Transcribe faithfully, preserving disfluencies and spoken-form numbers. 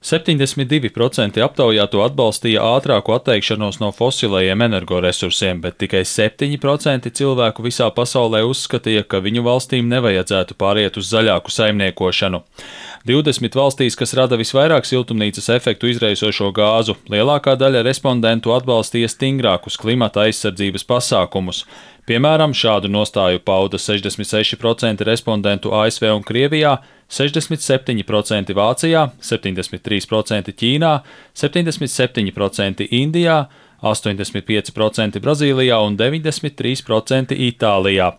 septiņdesmit divi procenti aptaujāto atbalstīja ātrāku atteikšanos no fosilajiem energoresursiem, bet tikai septiņi procenti cilvēku visā pasaulē uzskatīja, ka viņu valstīm nevajadzētu pāriet uz zaļāku saimniekošanu. divdesmit valstīs, kas rada visvairāk siltumnīcas efektu izraisošo gāzu, lielākā daļa respondentu atbalstīja stingrākus klimata aizsardzības pasākumus. Piemēram, šādu nostāju pauda sešdesmit seši procenti respondentu A S V un Krievijā, sešdesmit septiņi procenti Vācijā, septiņdesmit trīs procenti Ķīnā, septiņdesmit septiņi procenti Indijā, astoņdesmit pieci procenti Brazīlijā un deviņdesmit trīs procenti Itālijā.